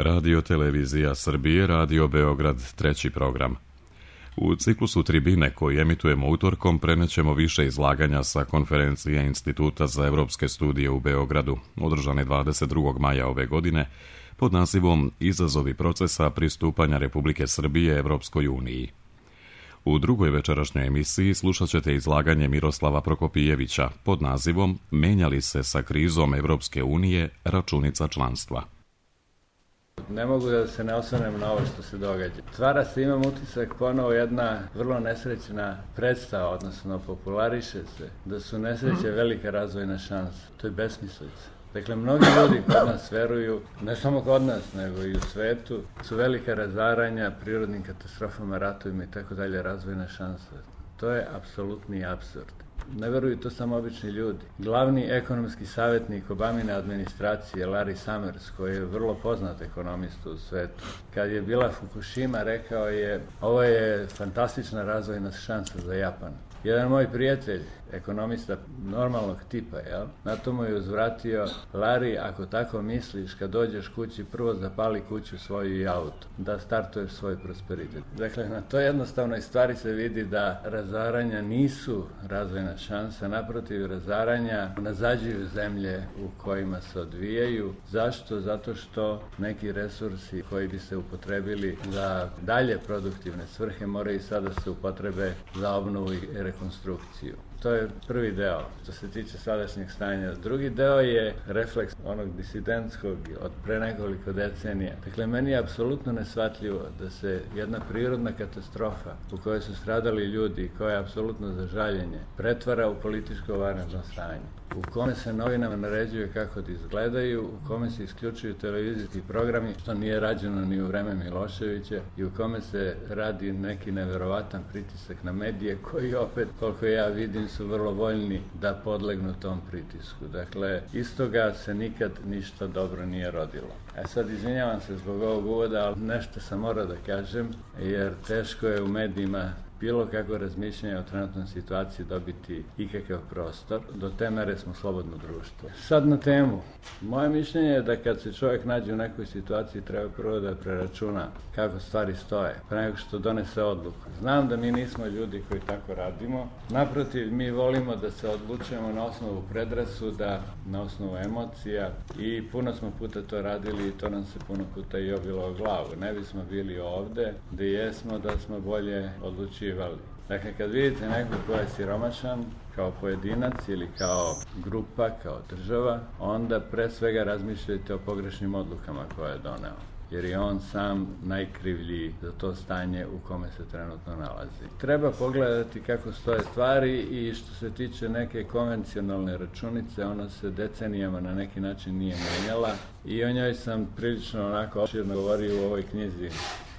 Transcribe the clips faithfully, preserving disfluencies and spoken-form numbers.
Radio Televizija Srbije, Radio Beograd, treći program. U ciklusu Tribine koji emitujemo utorkom prenećemo više izlaganja sa konferencije Instituta za evropske studije u Beogradu, održane dvadeset drugog maja ove godine, pod nazivom Izazovi procesa pristupanja Republike Srbije Evropskoj uniji. U drugoj večerašnjoj emisiji slušat ćete izlaganje Miroslava Prokopijevića pod nazivom Menjali se sa krizom Evropske unije računica članstva. Ne mogu da se ne osvrnem na ovo što se događa. Stvara se, imam utisak, ponovo jedna vrlo nesrećna predstava, odnosno populariše se, da su nesreće velika razvojna šansa. To je besmislica. Dakle, mnogi ljudi kod nas veruju, ne samo kod nas, nego i u svetu, su velika razaranja, prirodnim katastrofama, ratovima i tako dalje, razvojna šansa. To je apsolutni apsurd. Ne veruju to samo obični ljudi. Glavni ekonomski savjetnik Obamine administracije, Larry Summers, koji je vrlo poznat ekonomista u svetu, kad je bila Fukushima, rekao je, ovo je fantastična razvojna šansa za Japan. Jedan moj prijatelj, ekonomista normalnog tipa, jel? Na to mu je uzvratio, Larry, ako tako misliš, kad dođeš kući, prvo zapali kuću svoju i auto, da startuješ svoj prosperitet. Dakle, na to jednostavnoj stvari se vidi da razaranja nisu razvojna šansa, naprotiv, razaranja nazađuju zemlje u kojima se odvijaju. Zašto? Zato što neki resursi koji bi se upotrebili za dalje produktivne svrhe moraju sada se upotrebe za obnovu i rekonstrukciju. To je prvi deo, što se tiče sadašnjeg stanja. Drugi deo je refleks onog disidentskog od pre nekoliko decenija. Dakle, meni je apsolutno neshvatljivo da se jedna prirodna katastrofa u kojoj su stradali ljudi, koja je apsolutno za žaljenje, pretvara u političko vanredno stanje, u kome se novinama naređuje kako da izgledaju, u kome se isključuju televizijski programi, što nije rađeno ni u vreme Miloševića, i u kome se radi neki neverovatan pritisak na medije, koji opet, koliko ja vidim, su vrlo voljni da podlegnu tom pritisku. Dakle, iz toga se nikad ništa dobro nije rodilo. E sad, izvinjavam se zbog ovog uvoda, ali nešto sam morao da kažem, jer teško je u medijima bilo kako razmišljanje o trenutnoj situaciji dobiti ikakav prostor. Do te mere smo slobodno društvo. Sad na temu. Moje mišljenje je da kad se čovjek nađe u nekoj situaciji treba prvo da preračuna kako stvari stoje, pre nego što donese odluku. Znam da mi nismo ljudi koji tako radimo. Naprotiv, mi volimo da se odlučujemo na osnovu predrasuda, na osnovu emocija, i puno smo puta to radili i to nam se puno puta i obilo o glavu. Ne bismo bili ovde gde jesmo da smo bolje odlučivali. Dakle, kad vidite nekog ko je siromašan, kao pojedinac ili kao grupa, kao država, onda pre svega razmišljajte o pogrešnim odlukama koje je doneo, jer je on sam najkrivlji za to stanje u kome se trenutno nalazi. Treba pogledati kako stoje stvari, i što se tiče neke konvencionalne računice, ona se decenijama na neki način nije menjala, i o njoj sam prilično onako opširno govorio u ovoj knjizi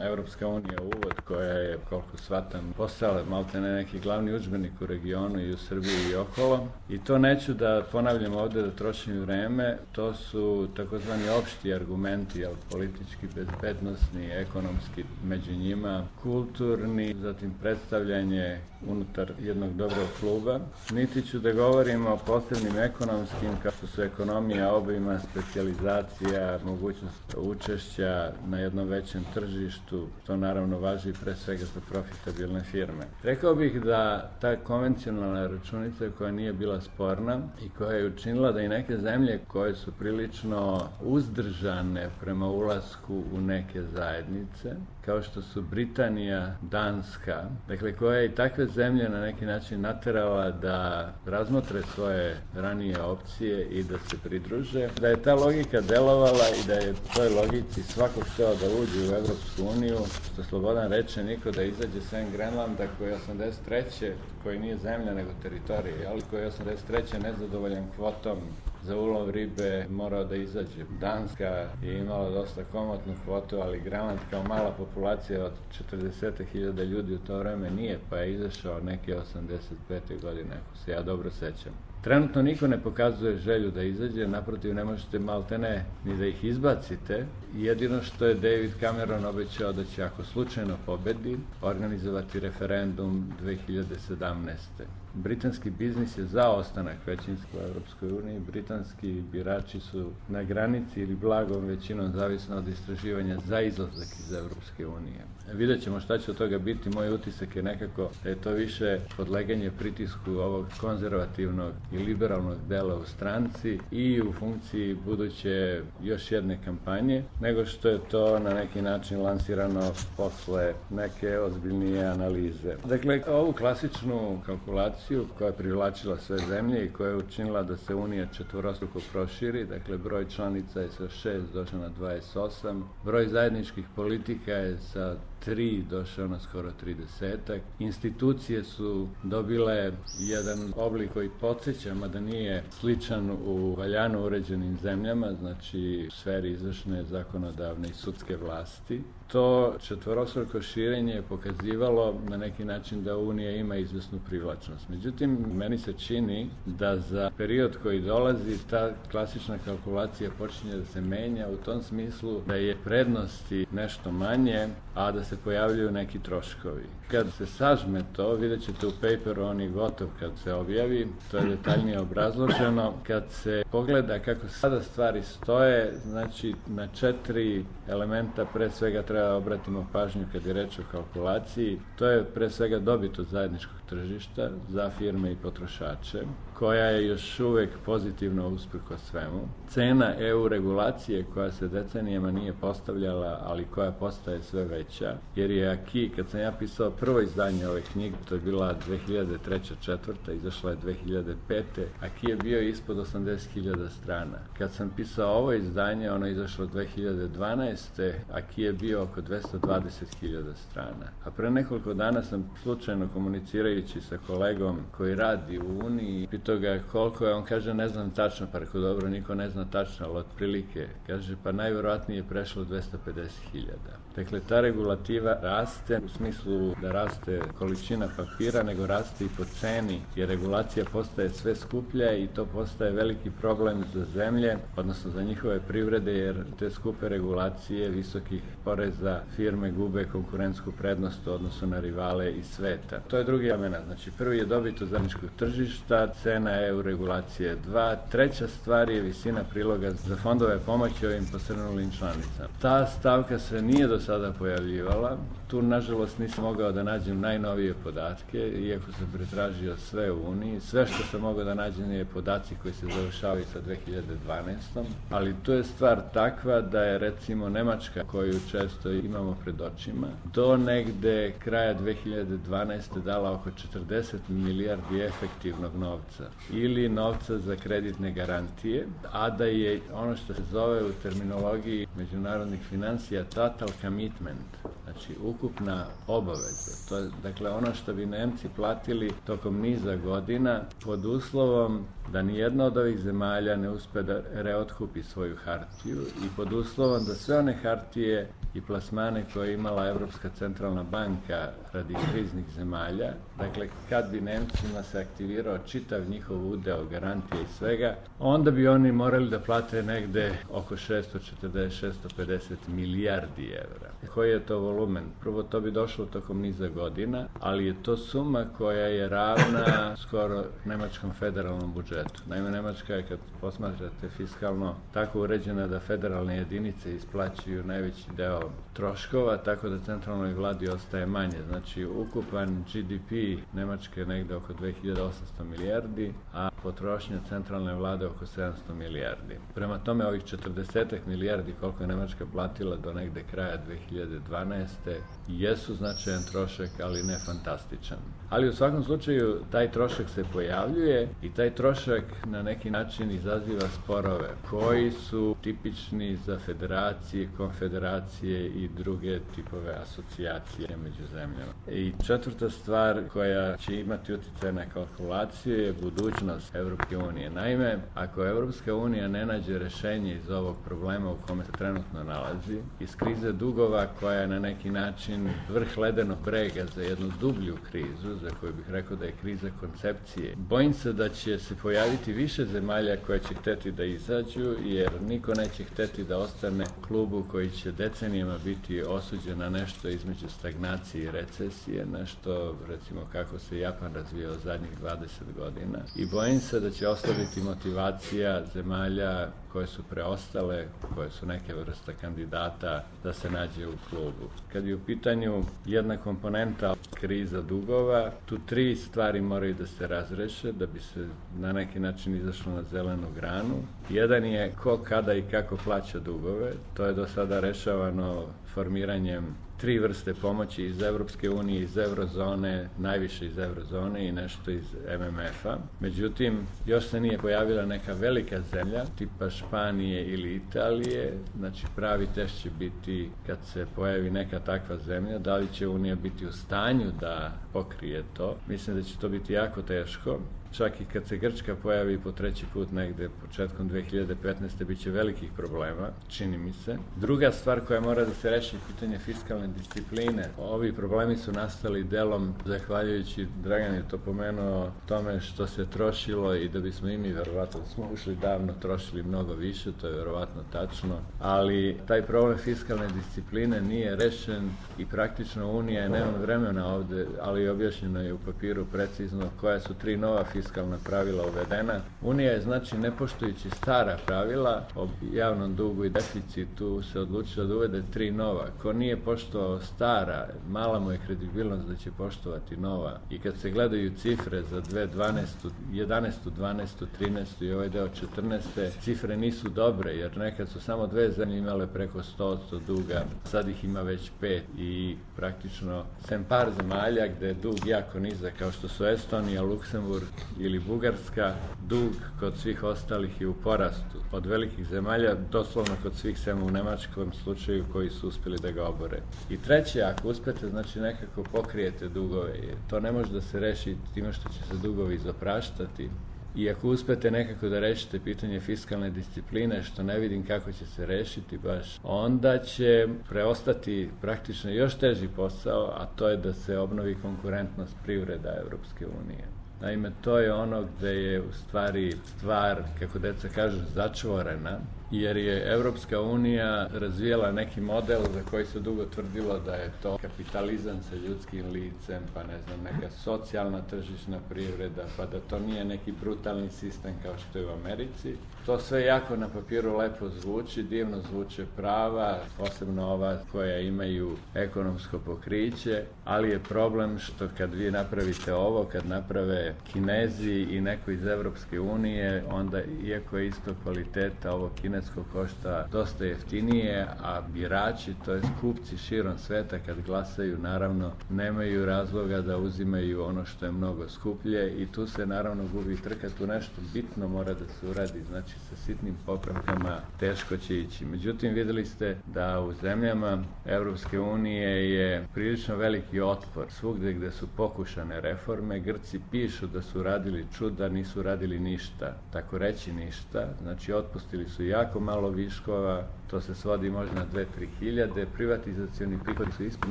Evropska unija, uvod, koja je, koliko shvatam, postala maltene neki glavni udžbenik u regionu i u Srbiji i okolo. I to neću da ponavljam ovde, da trošim vreme. To su takozvani opšti argumenti, jel, politički, bezbednosni, ekonomski među njima, kulturni, zatim predstavljanje unutar jednog dobrog kluba. Niti ću da govorim o posebnim ekonomskim, kao što su ekonomija obima, specijalizacija, mogućnost učešća na jednom većem tržištu. To naravno važi pre svega za profitabilne firme. Rekao bih da ta konvencionalna računica, koja nije bila sporna i koja je učinila da i neke zemlje koje su prilično uzdržane prema ulasku u neke zajednice, kao što su Britanija, Danska, dakle koja je i takve zemlje na neki način naterala da razmotre svoje ranije opcije i da se pridruže, da je ta logika delovala i da je toj logici svako hteo da uđe u Evropsku uniju, što Slobodan reče, niko da izađe sem Grenlanda, koji je osamdeset treće koji nije zemlja nego teritorija, ali koji je osamdeset treće nezadovoljan kvotom za ulov ribe morao da izađe. Danska je imala dosta komotnu kvotu, ali Grenland kao mala populacija od četrdeset hiljada ljudi u to vreme nije, pa je izašao neke osamdeset pete godine, ako se ja dobro sećam. Trenutno niko ne pokazuje želju da izađe, naprotiv ne možete maltene ni da ih izbacite. Jedino što je David Cameron obećao da će, ako slučajno pobedi, organizovati referendum dve hiljade sedamnaeste. britanski biznis je za ostanak većinski u Evropskoj uniji. Britanski birači su na granici ili blagom većinom, zavisno od istraživanja, za izlazak iz Evropske unije. Vidjet ćemo šta će od toga biti. Moj utisak je nekako da je to više podleganje pritisku ovog konzervativnog i liberalnog dela u stranci i u funkciji buduće još jedne kampanje, nego što je to na neki način lansirano posle neke ozbiljnije analize. Dakle, ovu klasičnu kalkulaciju koja je privlačila sve zemlje i koja je učinila da se Unija četvorostruko proširi, dakle broj članica je sa šest došao na dvadeset osam, broj zajedničkih politika je sa tri došao na skoro tridesetak. Institucije su dobile jedan oblik koji podsjeća, mada nije sličan u valjano uređenim zemljama, znači u sferi izvršne, zakonodavne i sudske vlasti. To četvorostruko širenje je pokazivalo na neki način da Unija ima izvesnu privlačnost. Međutim, meni se čini da za period koji dolazi ta klasična kalkulacija počinje da se menja u tom smislu da je prednosti nešto manje, a da se pojavljuju neki troškovi. Kad se sažme to, vidjet ćete u paperu, on je gotov kad se objavi, to je detaljnije obrazloženo. Kad se pogleda kako sada stvari stoje, znači na četiri elementa pre svega treba obratimo pažnju kad je reč o kalkulaciji. To je pre svega dobit od zajedničkog tržišta za firme i potrošače, koja je još uvek pozitivno usprko svemu. Cena E U regulacije koja se decenijama nije postavljala, ali koja postaje sve veća, jer je aki, kad sam ja pisao prvo izdanje ove knjige, to je bila dve hiljade treća četvrta, izašla je dve hiljade pete, aki je bio ispod osamdeset hiljada strana. Kad sam pisao ovo izdanje, ono je izašlo dve hiljade dvanaeste, aki je bio oko dvesta dvadeset hiljada strana. A pre nekoliko dana sam slučajno komunicirajući sa kolegom koji radi u Uniji, pitao ga koliko je, on kaže ne znam tačno, pa rekao dobro, niko ne zna tačno, ali otprilike, kaže pa najverovatnije je prešlo dvesta pedeset hiljada. Dakle, ta regulativa raste u smislu da raste količina papira, nego raste i po ceni, jer regulacija postaje sve skuplja i to postaje veliki problem za zemlje, odnosno za njihove privrede, jer te skupe regulacije visokih poreza firme gube konkurentsku prednost u odnosu na rivale iz sveta. To je drugi element. Znači, prvi je dobit od zajedničkog tržišta, cena E U regulacije dva, treća stvar je visina priloga za fondove pomoći ovim posrnulim članicama. Ta stavka se nije do sada pojavljivala. Tu, nažalost, nisam mogao da nađem najnovije podatke, iako sam pretražio sve u Uniji. Sve što sam mogao da nađem je podaci koji se završavaju sa dve hiljade dvanaestom. Ali tu je stvar takva da je, recimo, Nemačka, koju često imamo pred očima, do negde kraja dve hiljade dvanaeste dala oko četrdeset milijardi efektivnog novca ili novca za kreditne garantije, a da je ono što se zove u terminologiji međunarodnih financija total commitment, znači ukupna obaveza. To je, dakle, ono što bi Nemci platili tokom niza godina pod uslovom da nijedna od ovih zemalja ne uspe da reotkupi svoju hartiju i pod uslovom da sve one hartije i plasmane koje je imala Evropska centralna banka radi kriznih zemalja, dakle, kad bi Nemcima se aktivirao čitav njihov udeo garantije i svega, onda bi oni morali da plate negde oko šesto četrdeset do šesto pedeset milijardi evra. Koji je to volumen? Prvo, to bi došlo tokom niza godina, ali je to suma koja je ravna skoro nemačkom federalnom budžetu. Naime, Nemačka je, kad posmatrate fiskalno, tako uređena da federalne jedinice isplaćuju najveći deo troškova, tako da centralnoj vladi ostaje manje. Znači, ukupan G D P Nemačke je negde oko dve hiljade osamsto milijardi, a potrošnja centralne vlade oko sedamsto milijardi. Prema tome, ovih četrdeset milijardi koliko je Nemačka platila do negde kraja dve hiljade dvanaeste jesu značajan trošak, ali ne fantastičan. Ali u svakom slučaju taj trošak se pojavljuje i taj trošak na neki način izaziva sporove koji su tipični za federacije, konfederacije i druge tipove asocijacije među zemljama. I četvrta stvar koja će imati utjecaj na kalkulaciju je budućnost Evropske unije. Naime, ako Evropska unija ne nađe rešenje iz ovog problema u kome se trenutno nalazi, iz krize dugova koja je na neki način vrh ledenog brega za jednu dublju krizu, za koju bih rekao da je kriza koncepcije, bojim se da će se pojaviti više zemalja koje će hteti da izađu, jer niko neće hteti da ostane u klubu koji će decenije decenijama biti osuđena nešto između stagnacije i recesije, nešto recimo kako se Japan razvijao zadnjih dvadeset godina. I bojim se da će oslabiti motivacija zemalja koje su preostale, koje su neke vrste kandidata da se nađe u klubu. Kad je u pitanju jedna komponenta kriza dugova, tu tri stvari moraju da se razreše da bi se na neki način izašlo na zelenu granu. Jedan je ko, kada i kako plaća dugove. To je do sada rešavano formiranjem tri vrste pomoći iz Evropske unije, iz eurozone, najviše iz eurozone i nešto iz M M F-a. Međutim, još se nije pojavila neka velika zemlja, tipa Španije ili Italije. Znači, pravi test će biti kad se pojavi neka takva zemlja, da li će Unija biti u stanju da pokrije to. Mislim da će to biti jako teško. Čak i kad se Grčka pojavi po treći put negde početkom dve hiljade petnaeste. bit će velikih problema, čini mi se. Druga stvar koja mora da se reši je pitanje fiskalne discipline. Ovi problemi su nastali delom, zahvaljujući, Dragan je to pomenuo, tome što se trošilo i da bismo i mi, verovatno, smo ušli davno, trošili mnogo više, to je verovatno tačno, ali taj problem fiskalne discipline nije rešen i praktično Unija je, nema vremena ovde, ali objašnjeno je u papiru precizno koja su tri nova fiskalna fiskalna pravila uvedena. Unija je, znači, ne poštujući stara pravila o javnom dugu i deficitu, se odlučila da uvede tri nova. Ko nije poštovao stara, mala mu je kredibilnost da će poštovati nova. I kad se gledaju cifre za dve hiljade dvanaestu, jedanaestu, dvanaestu, trinaestu i ovaj deo četrnaeste. cifre nisu dobre, jer nekad su samo dve zemlje imale preko sto posto duga, sad ih ima već pet i praktično sem par zemalja gde je dug jako nizak, kao što su Estonija, Luksemburg ili Bugarska, dug kod svih ostalih je u porastu. Od velikih zemalja, doslovno kod svih, sem u nemačkom slučaju, koji su uspeli da ga obore. I treće, ako uspete, znači nekako pokrijete dugove. To ne može da se reši time što će se dugovi zapraštati. I ako uspete nekako da rešite pitanje fiskalne discipline, što ne vidim kako će se rešiti baš, onda će preostati praktično još teži posao, a to je da se obnovi konkurentnost privreda Evropske unije. Naime, to je ono gde je u stvari stvar, kako deca kažu, začvorena, jer je Evropska unija razvijala neki model za koji se dugo tvrdilo da je to kapitalizam sa ljudskim licem, pa ne znam, neka socijalna tržišna privreda, pa da to nije neki brutalni sistem kao što je u Americi. To sve jako na papiru lepo zvuči, divno zvuče prava, posebno ova koja imaju ekonomsko pokriće, ali je problem što kad vi napravite ovo, kad naprave Kinezi i neko iz Evropske unije, onda, iako je isto kvaliteta, ovo kinesko košta dosta jeftinije, a birači, to jest kupci širom sveta, kad glasaju, naravno, nemaju razloga da uzimaju ono što je mnogo skuplje i tu se naravno gubi trka, tu nešto bitno mora da se uradi, znači sa sitnim popravkama teško će ići. Međutim, videli ste da u zemljama Evropske unije je prilično veliki otpor. Svugde gde su pokušane reforme, Grci pišu da su radili čuda, nisu radili ništa, tako reći ništa, znači otpustili su jako malo viškova, to se svodi možda na dve do tri hiljade, privatizacioni prihodi su ispod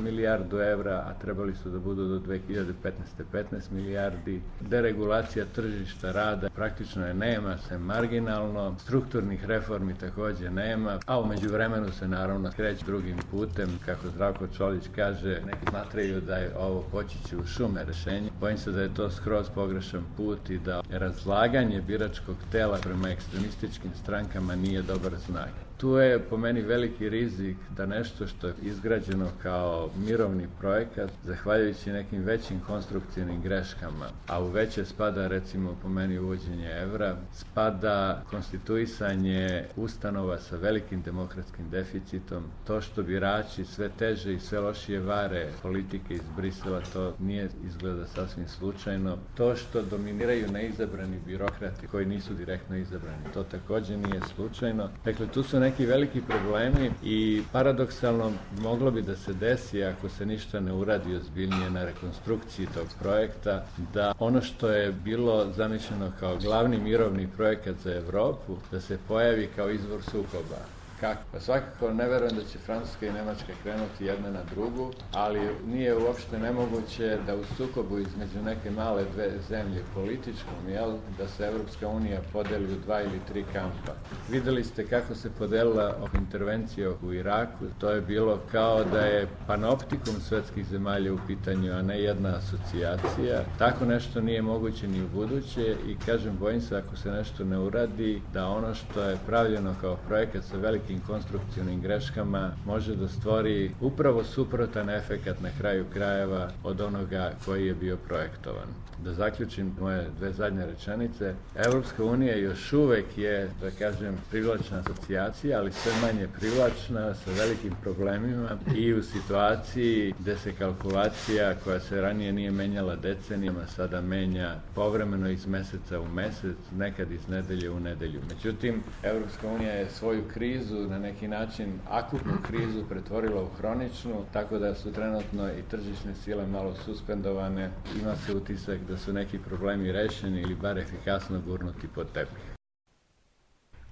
milijardu evra, a trebali su da budu do dve hiljade petnaeste. petnaest milijardi, deregulacija tržišta rada praktično je nema, se marginalno, strukturnih reformi takođe nema, a umeđu vremenu se naravno kreće drugim putem, kako Zdravko Čolić kaže, neki smatraju da je ovo poći će u šume rešenje. Bojim se da je to skroz pogrešan put i da razlaganje biračkog tela prema ekstremističkim strankama nije dobar znak. Tu je po meni veliki rizik da nešto što je izgrađeno kao mirovni projekat, zahvaljujući nekim većim konstrukcijnim greškama, a u veće spada recimo po meni uvođenje evra, spada konstituisanje ustanova sa velikim demokratskim deficitom, to što birači sve teže i sve lošije vare politike iz Brisela, to nije izgleda sasvim slučajno, to što dominiraju neizabrani birokrati koji nisu direktno izabrani, to takođe nije slučajno. Dakle, tu su neki veliki problemi i paradoksalno moglo bi da se desi, ako se ništa ne uradi ozbiljnije na rekonstrukciji tog projekta, da ono što je bilo zamišljeno kao glavni mirovni projekat za Evropu, da se pojavi kao izvor sukoba. Kako? Pa svakako ne verujem da će Francuska i Nemačka krenuti jedna na drugu, ali nije uopšte nemoguće da u sukobu između neke male dve zemlje političkom, jel, da se Evropska unija podeli u dva ili tri kampa. Videli ste kako se podelila intervencija u Iraku, to je bilo kao da je panoptikum svetskih zemalja u pitanju, a ne jedna asocijacija. Tako nešto nije moguće ni u buduće i kažem, bojim se ako se nešto ne uradi, da ono što je pravljeno kao projekat sa velikim konstrukcionim greškama može da stvori upravo suprotan efekat na kraju krajeva od onoga koji je bio projektovan. Da zaključim moje dve zadnje rečenice, Evropska unija još uvek je, da kažem, privlačna asocijacija, ali sve manje privlačna, sa velikim problemima i u situaciji gde se kalkulacija koja se ranije nije menjala decenijama, sada menja povremeno iz meseca u mesec, nekad iz nedelje u nedelju. Međutim, Evropska unija je svoju krizu, na neki način akutnu krizu, pretvorila u hroničnu, tako da su trenutno i tržišne sile malo suspendovane. Ima se utisak da su neki problemi rešeni ili bar efikasno gurnuti pod tepih.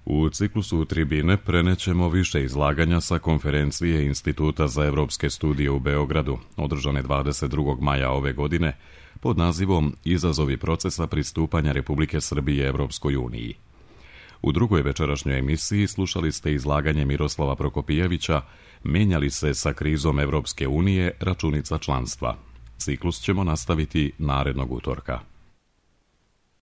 U ciklusu Tribine prenećemo više izlaganja sa konferencije Instituta za evropske studije u Beogradu, održane dvadeset drugog maja ove godine, pod nazivom Izazovi procesa pristupanja Republike Srbije Evropskoj uniji. U drugoj večerašnjoj emisiji slušali ste izlaganje Miroslava Prokopijevića Menjali se sa krizom Evropske unije računica članstva. Ciklus ćemo nastaviti narednog utorka.